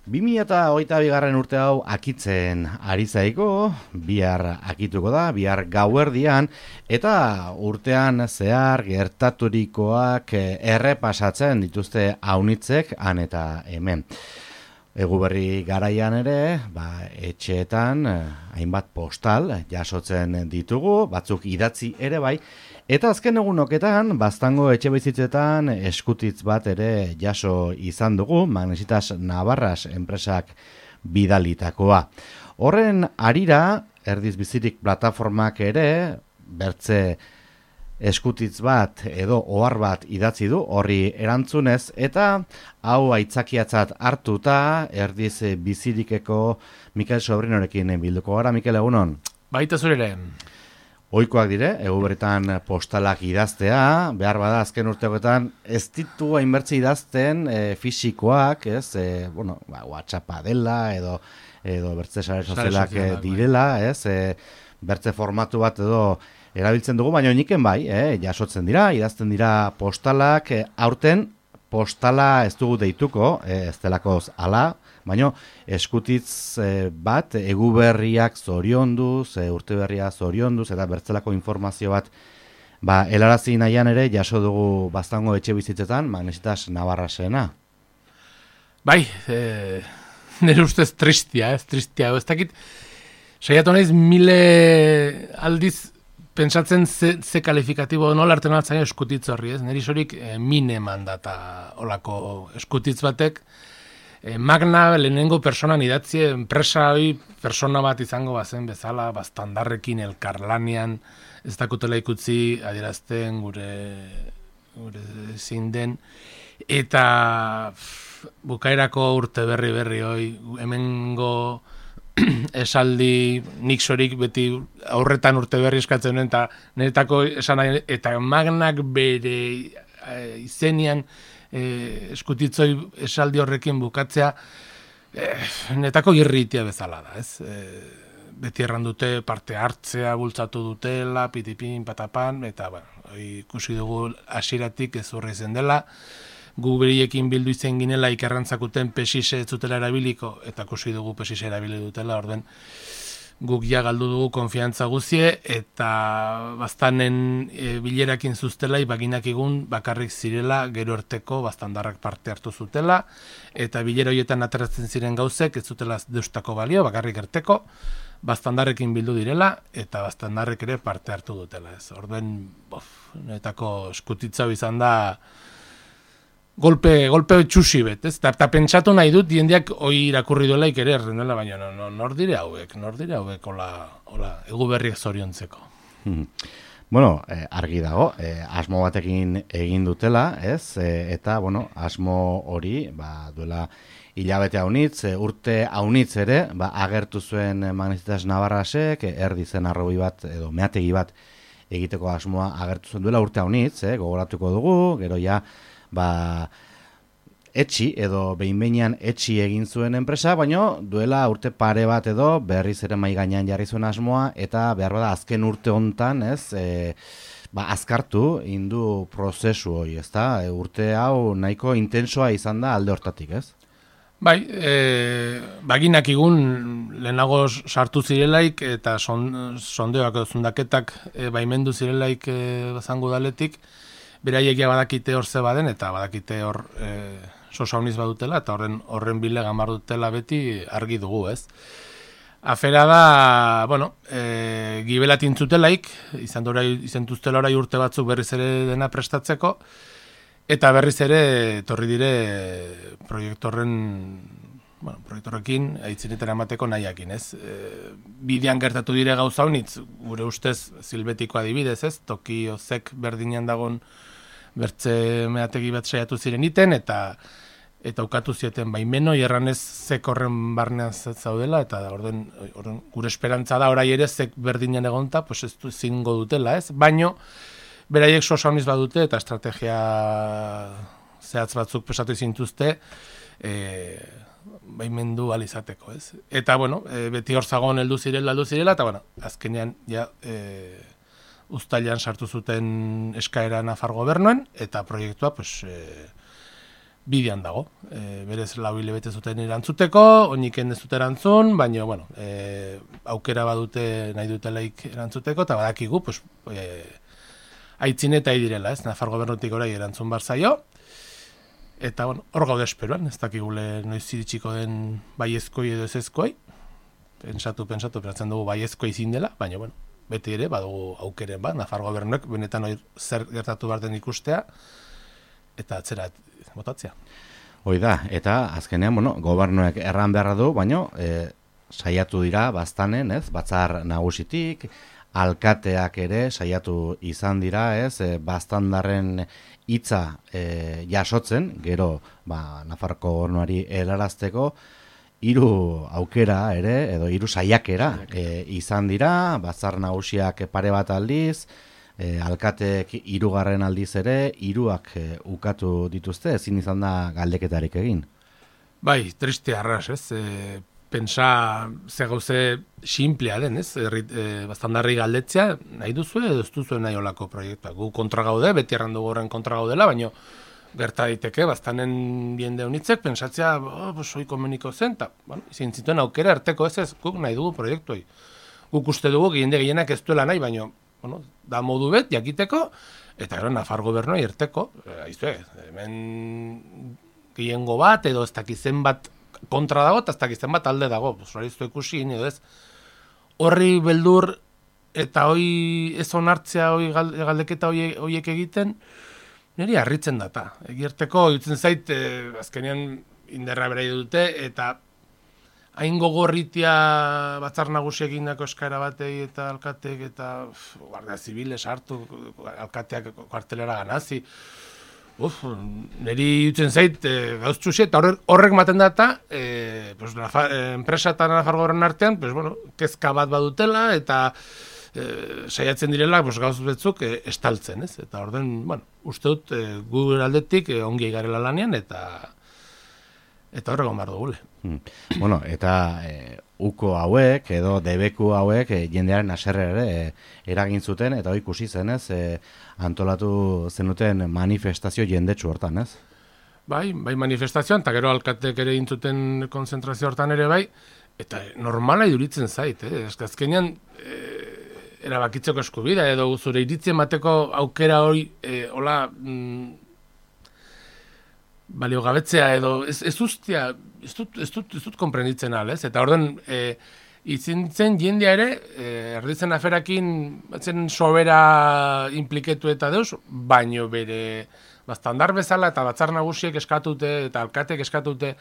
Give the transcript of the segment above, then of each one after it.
2022. Urte hau akitzen ari zaiko, bihar akituko da, bihar gauerdian, eta urtean zehar gertaturikoak errepasatzen dituzte aunitzek han eta hemen. Eguberri garaian ere, etxeetan hainbat postal jasotzen ditugu, batzuk idatzi ere bai, eta azken egunoketan, Baztango etxebizitzetan eskutitz bat ere jaso izan dugu, Magnesitas Navarras enpresak bidalitakoa. Horren harira, Erdiz Bizirik plataformak ere, bertze eskutitz bat edo ohar bat idatzi du horri erantzunez, eta hau aitzakiatzat hartuta Erdiz Bizirikeko Mikel Sobrinorekin bilduko gara. Mikel, egunon? Baita zurere. Ohikoak dire, eguberritan postalak idaztea, behar bada azken urteoketan ez ditu hainbertze idazten fisikoak, ez? WhatsAppa dela edo bertze sare sozialak direla, ez? Bertze formatu bat edo erabiltzen dugu, baina oniken bai, jasotzen dira, idazten dira postalak, aurten postala ez dugu deituko, ez delakoz ala, baina eskutitz bat eguberriak zorionduz, urteberria zorionduz, eta bertzelako informazio bat helarazi nahian ere jaso dugu Baztango etxebizitzetan, Magnesitas Navarrasena. Bai, nire ustez tristia, ez dakit, saiatu naiz mile aldiz pentsatzen ze kalifikatibo nola arten altzaino eskutitz horri, ez? Neri sorik mine mandata olako eskutitz batek, magna lehenengo personan idatzie, enpresa hori persona bat izango bazen bezala, baztandarrekin elkarlanean, ez dakutela ikutzi adierazten gure zein den, eta bukaerako urte berri hoi, hemengo esaldi nik sorik beti aurretan urte berri eskatzen nuen, eta niretako esan nahi, eta magnak bere izenian eskutitzoi esaldi horrekin bukatzea netako irritia bezala da, ez? Beti errandute parte hartzea bultzatu dutela, pitipin, patapan, eta ikusi dugu hasieratik ez horre izen dela, gu beriekin bildu izen ginela ikerrantzakuten pesise ez zutela erabiliko, eta ikusi dugu pesise erabili dutela, orden guk ja galdu dugu konfiantza guzie, eta baztanen bilerakin zuztela, baginak egun bakarrik zirela, gero erteko baztandarrak parte hartu zutela, eta bilera horietan ateratzen ziren gauzek, ez zutela deustako balio, bakarrik erteko, baztandarrekin bildu direla, eta baztandarrek ere parte hartu dutela. Ez. Orden, netako eskutitza izan da, golpe txusi bet, ez? Eta pentsatu nahi dut, jendeak hoi irakurri duelaik ere errendela, baina nor dire hauek, hola, eguberriak zoriontzeko. Bueno, argi dago, asmo batekin egin dutela, ez? Eta, asmo hori, duela hilabete haunitz, urte haunitz ere, agertu zuen Magnesitas Navarrasek, erdizen arrobi bat, edo meategi bat egiteko asmoa agertu zuen duela urte haunitz, gogoratuko dugu, gero ja, etxi edo behin-behinean etxi egin zuen enpresa, baina duela urte pare bat edo berriz ere mai gainean jarri zuen asmoa, eta behar bada azken urte hontan, ez, azkartu indu prozesu hori, ez da, urte hau nahiko intensoa izan da alde hortatik, ez? Bai, baginak igun lehenago sartu zirelaik eta sondeoak edo zundaketak baimendu zirelaik bazango daletik, beraiek ja badakite hor ze baden, eta badakite hor sosauniz badutela, eta horren bile gamar dutela beti argi dugu, ez? Afera da, gibelat intzutelaik, izan tuztela orai urte batzuk berriz ere dena prestatzeko, eta berriz ere torri dire proiektorrekin aitzinetara emateko nahiakin, ez? Bidean gertatu dire gauza honitz, gure ustez zilbetiko adibidez, ez? Toki ozek berdinean dagon bertze meategi bat saiatu ziren iten, eta ukatu zieten baimeno, erranez zek horren barnean zaudela, eta orden gure esperantza da orai ere zek berdinean egonta, pues ez du zingo dutela, ez? Baino, beraiek sosauniz badute, eta estrategia zehatz batzuk pesatu izintuzte, baimendu alizateko, ez? Eta, beti hor zagon heldu zirela, eta, azkenean, ja, uztailan sartu zuten eskaera Nafar gobernuen, eta proiektua, bidean dago. Berez 4 hilabete zuten erantzuteko, oiniken ez dute erantzun, baina, bueno, aukera badute nahi dutelaik erantzuteko, eta badakigu, pues, aitzin eta direla, ez? Nafar gobernutik orai erantzun bar zaio, eta, bueno, hor gaude esperoan, ez dakigule noiz iritsiko den baiezkoi edo ezezkoi, pentsatzen dugu baiezkoi zin dela, baina, bueno, beti ere, badugu aukeren bat, Nafar gobernuek benetan hori zer gertatu behar den ikustea, eta atzera botatzea. Hoi da, eta azkenean, bueno, gobernuek erran beharra du, baina saiatu dira baztanen, ez, batzar nagusitik, alkateak ere saiatu izan dira, ez, baztandarren hitza jasotzen, gero, Nafarroko gobernuari helarazteko, 3 aukera ere, edo 3 saiakera izan dira, batzar nagusiak pare bat aldiz, alkateek 3. aldiz ere, 3ak ukatu dituzte, ezin izan da galdeketarik egin. Bai, triste arras, ez? Pentsa ze gauze simplea den, ez? Baztandarri galdetzea, nahi duzu edo ez duzu nahi olako proiektua. Gu kontra gaude, beti errandu horren kontra gaudela, baina gerta daiteke, baztanen jende honitzek, pentsatzea, hoi komeniko zen, eta, bueno, izin zituen aukera arteko ez, guk nahi dugu proiektuai. Guk uste dugu, jende gehienak ez duela nahi, baina, bueno, da modu bet, jakiteko, eta gero Nafar gobernuai erteko, hemen gehiengo bat, edo ez dakizen bat kontra dago, eta ez dakizen bat alde dago, hori ez du ikusi, edo ez, horri beldur, eta hoi ez onartzea, hoi galdeketa hoiek egiten, niri harritzen data. Egierteko, dutzen zait, azkenean inderra berai dute, eta hain gogorritia batzar nagusiek egindako eskaera batei eta alkateek eta guardia zibiles hartu, alkateak kuartelera ganazi. Niri dutzen zait, gauztxusi, eta horrek maten data, enpresa eta Nafar gobernu artean, kezka bat badutela, eta saiatzen direla gauz betzuk estaltzen, ez? Eta orden, uste dut Google aldetik ongi garela lanean, eta horrego behar dugule. Bueno, eta uko hauek, edo debeku hauek, jendearen haserre ere eragin zuten, eta hori ikusi zen, ez? Antolatu zenuten manifestazio jendetsu hortan, ez? Bai manifestazioan, eta gero alkatek ere intzuten konzentrazio hortan ere bai, eta normala iduritzen zait, azkenean erabakitzeko eskubida, edo zure iritzien emateko aukera hori, hola, baliogabetzea, edo ez dut konprenditzen al, ez? Eta orden, izintzen jendea ere, erditzen aferakin, batzen sobera impliketu eta deus, baino bere baztandar bezala eta batzar nagusiek eskatute, eta alkatek eskatute,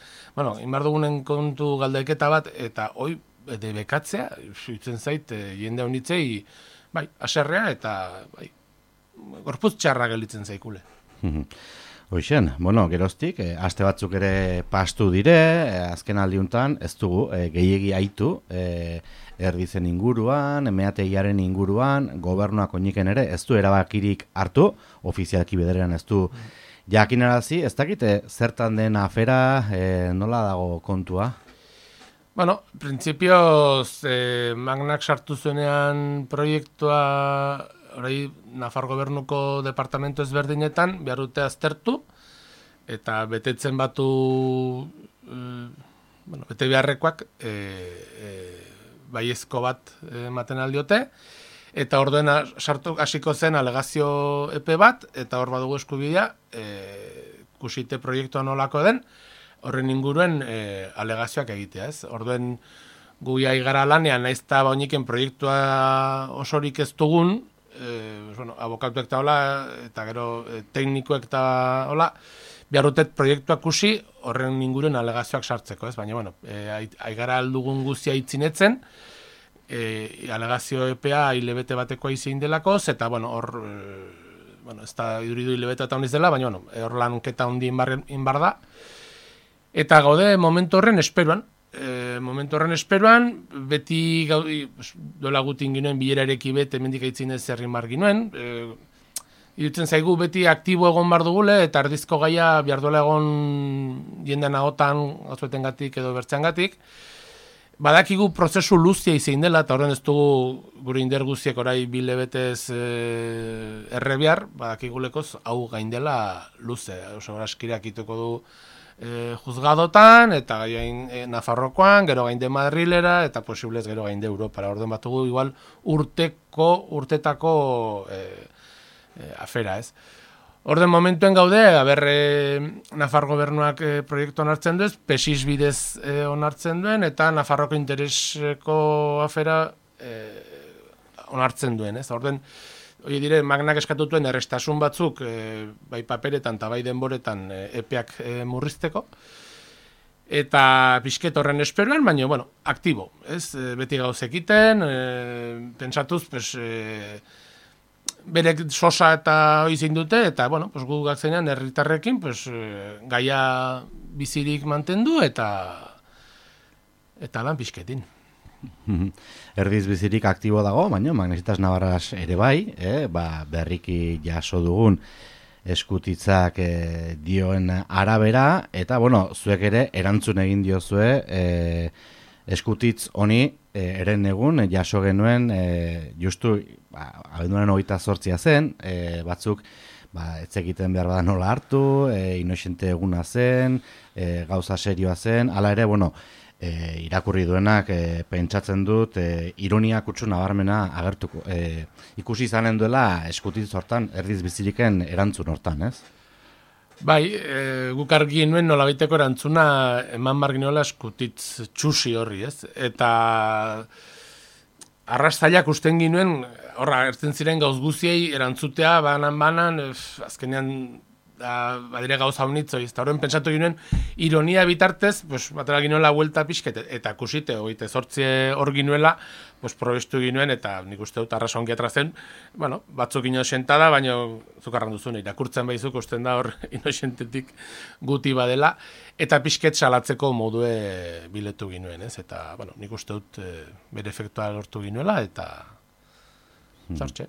inbar dugunen kontu galdeketa bat, eta hoi, bekatzea, itzen zait, jende honitzei, aserrea eta, gorputz txarra gelditzen zaikule. Hoixen, geroztik, aste batzuk ere pastu dire, azken aldiuntan, ez dugu, gehiegi aitu, erdizen inguruan, meategiaren inguruan, gobernuak oiniken ere, ez du erabakirik hartu, ofizialki bederean ez du jakinarazi, ez dakite zertan den afera, nola dago kontua? Printzipioz, Magnak sartu zuenean proiektua, orai, Nafar gobernuko departamento ezberdinetan, behar dute aztertu, eta betetzen batu, bete beharrekoak, baiezko bat ematen aldiote, eta orduen sartu hasiko zen alegazio epe bat, eta hor badugu eskubidea, kusite proiektua nolako den, horren inguruen alegazioak egitea, ez? Orduen gu gara lanean, naiz eta bauniken proiektua osorik ez dugun, abokatuek eta hola, eta gero teknikoek eta hola, behar dutet proiektuak kusi horren inguruen alegazioak sartzeko, ez? Baina, aigara aldugun guzia itzinetzen, alegazio EPA hilebete batekoa izin delako, eta, hor, ez da iduridu hilebete eta hondiz dela, baina, hor lanketa hondi inbar da, eta gaude momentu horren esperuan, beti dola gutin ginoen bilerareki bete mendik aitzin ez zerrin bar ginoen, irutzen zaigu beti aktibo egon bar dugule, eta erdizko gaia behar duela egon jendean agotan, gazuetengatik edo bertzeangatik, Badakigu prozesu luzia izan dela, eta horren ez dugu gure indar guztiak orai bilebetez errebiar, badakigulekoz hau gaindela luze. Oso askirak ituko du juzgadotan, eta Nafarrokoan, gero gainde Madrilera, eta posiblez gero gainde Europara. Orden batugu igual urtetako afera, ez? Orden momentuen gaude, Nafar gobernuak proiektu onartzen duez, PESIS bidez onartzen duen, eta Nafarroko intereseko afera onartzen duen, ez? Orden, hori dire, magnak eskatutuen errestasun batzuk, bai paperetan eta bai denboretan epeak murrizteko, eta pixket horren esperuan, baina, bueno, aktibo, ez? Beti gauzekiten, pentsatuz, pues, berek sosa eta izin dute, eta, bueno, pues, gu gatzenean herritarrekin, pues, gaia bizirik mantendu, eta lan pixketin. Erdiz bizirik aktibo dago, baina Magnesitas Navarras ere bai, berriki jaso dugun eskutitzak dioen arabera, eta, bueno, zuek ere erantzun egin diozue eskutitz honi eren egun jaso genuen justu abenduaren 28 zen, batzuk etzekiten behar bada nola hartu, inoxente eguna zen, gauza serioa zen, hala ere, bueno, irakurri duenak pentsatzen dut ironia kutsu nabarmena agertuko ikusi izanen duela eskutitz hortan, erdiz biziriken erantzun hortan, ez? Bai, guk argi nuen nolabaiteko erantzuna eman barginoela eskutitz txusi horri, ez? Eta arrastaiak usten ginuen, horra, ertzen ziren gauz guziei erantzutea, banan, azkenean badire gauza honitzo, eta horren pentsatu ginen ironia bitartez, pues, batera ginoela huelta pixket, eta kusite, oite, zortzi hor ginuela, pues, probestu ginuen, eta nik uste dut arrasa ongi atrazen, bueno, batzuk inosentada, baina zukarran duzune, irakurtzen baizuk usten da hor inosentetik guti badela, eta pixket salatzeko modue biletu ginuen, ez? Eta, bueno, nik uste dut bere efektua lortu ginuela, eta zartxe.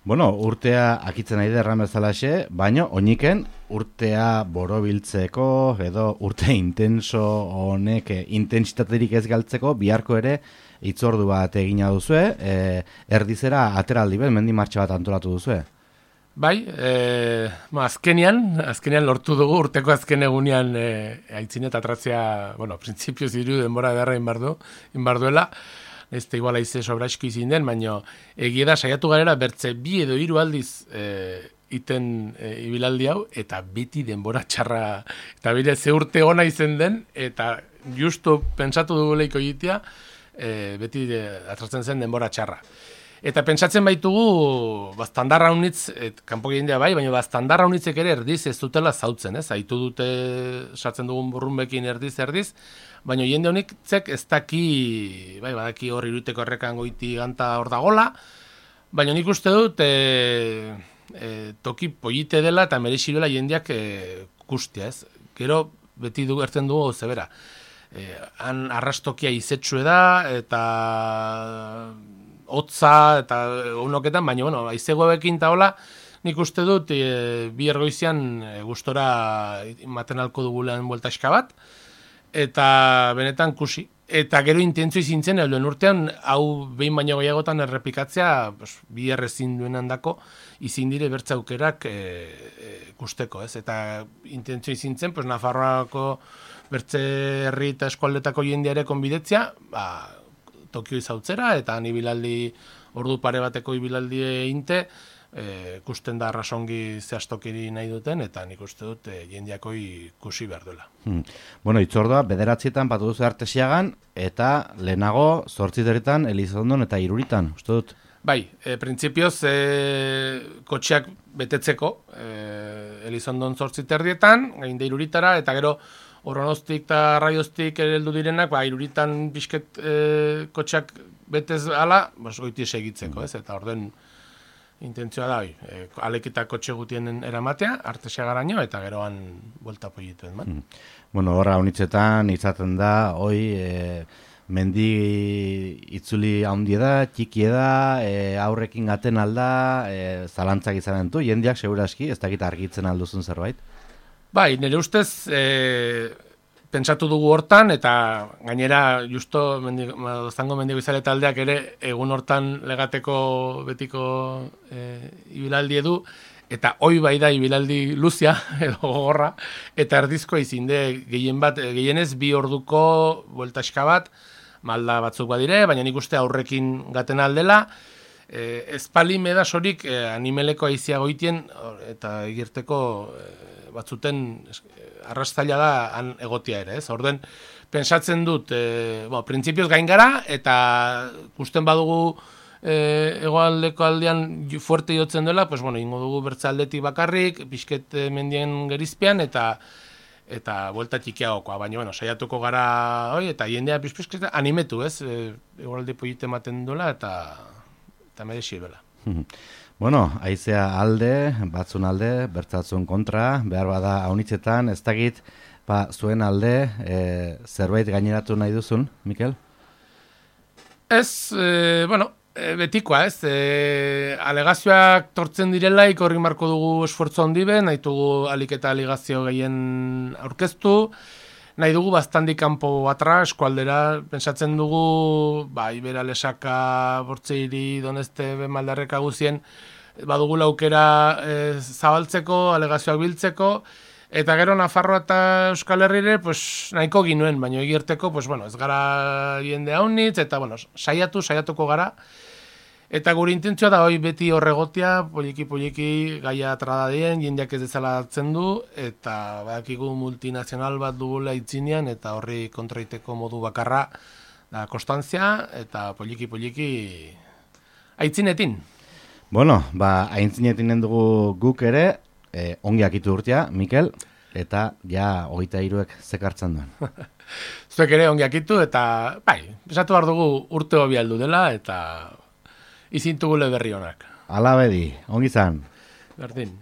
Bueno, urtea akitzen nahi derran bezalaxe, baina oiniken urtea borobiltzeko edo urte intenso honek intentsitaterik ez galtzeko biharko ere hitzordu bat egina duzue, erdizera ateraldi bet, mendi martxa bat antolatu duzue. Bai, azkenean lortu dugu urteko azken egunean aitzin eta atratzea, bueno, printzipioz hiru denbora edarra inbarduela, ez da iguala ize sobraizki izin den, baina egia da saiatu garela bertze 2 edo 3 aldiz iten ibilaldi hau, eta beti denbora txarra, eta bire ze urte ona izen den, eta justu pentsatu duguleiko egitea, beti atratzen zen denbora txarra. Eta pentsatzen baitugu, standarra unitz, kanpo jendea bai, baina standarra unitzek ere erdiz ez dutela zautzen, ez? Aitu dute sartzen dugun burrunbekin erdiz, baina jende honitzek ez daki, bai, badaki hor iruteko errekan goiti ganta hor dagola, baina nik uste dut toki polite dela eta merexiruela jendeak kustia, ez? Gero beti ertzen dugu zebera. Han arrastokia izetxue da, eta hotza eta unoketan, baina, bueno, aizegoekin eta hola, nik uste dut bi ergoizian gustora matenalko dugulean bueltaxka bat, eta benetan kusi. Eta gero intentzio izintzen, helduen urtean, hau behin baino gehiagotan errepikatzea, bi errezin duen handako, izin dire bertza aukerak kusteko, ez? Eta intentzio izintzen, Nafarroako bertze herri eta eskualdetako jendeare konbidetzea, Tokio izautzera, eta ibilaldi ordu pare bateko ibilaldi inte, kusten da arrasongi zehaztokiri nahi duten, eta nik uste dut jendeako ikusi behar duela. Bueno, itzordua, 9etan batu duzu Artesiagan, eta lehenago 8 Elizondon eta Iruritan, uste dut? Bai, printzipioz kotxeak betetzeko Elizondon 8 gainde Iruritara, eta gero Oronostik eta Raioztik heldu direnak, Iruritan pixket kotxeak betez ala, goiti segitzeko, ez? Eta orden intentzioa da, alekita kotxe gutien eramatea, Artesiagaraino, eta geroan buelta poituen, man. Bueno, horra honitzetan izaten da, mendi itzuli haundi da, txiki da, aurrekin gaten alda, zalantzak izanen du, jendeak seguraski, ez dakit argitzen alduzun zerbait? Bai, nire ustez pentsatu dugu hortan, eta gainera justo zango mendigo izale taldeak ere egun hortan legateko betiko ibilaldi edu, eta hoi bai da ibilaldi luzia edo gogorra, eta erdizkoa izinde gehienez 2 orduko bueltaxka bat, malda batzuk badire, baina nik uste aurrekin gaten aldela, espali medasorik animeleko aizia goitien, eta egirteko batzuten arrastaila da han egotia ere, ez? Orden, pensatzen dut, printzipioz gain gara, eta gusten badugu egoaldeko aldean fuerte jotzen dela, pues bueno, ingo dugu bertzaldetik bakarrik, pixket mendien gerizpean, eta buelta txikiagokoa, baina, bueno, saiatuko gara, eta jendea pixket animetu, ez? Egoalde polite ematen duela, eta merexi duela. Bueno, haizea alde, batzun alde, bertzatzun kontra, behar bada haunitzetan, ez dakit, zuen alde, zerbait gaineratu nahi duzun, Mikel? Ez, betikoa, ez, alegazioak tortzen direla, ikorri marko dugu esfortzu handi be, nahi dugu alik eta alegazio gehien aurkeztu, nahi dugu baztandik kanpo atra, eskualdera, pentsatzen dugu, Ibera, Lesaka, Bortzeiri, Doneste, Maldarreka guzien, badugu laukera zabaltzeko, alegazioak biltzeko, eta gero Nafarroa eta Euskal Herrire, pues, nahiko ginuen, baina egirteko, pues, bueno, ez gara jende haunitz, eta bueno, saiatuko gara, eta gure intentzioa da hoi beti horregotia, poliki gaia atradadien, jendeak ez dezala hartzen du, eta badakigu multinazional bat dugula itzinean, eta horri kontraiteko modu bakarra da konstantzia, eta poliki aitzinetin. Bueno, aitzinetinen dugu guk ere, ongi akitu urtea, Mikel, eta ja 23ek zekartzen duen. Zuek ere ongi akitu, eta esatu behar dugu urte hobi aldu dela, eta izintugule berri honak. Ala bedi, ongi zan. Berdin.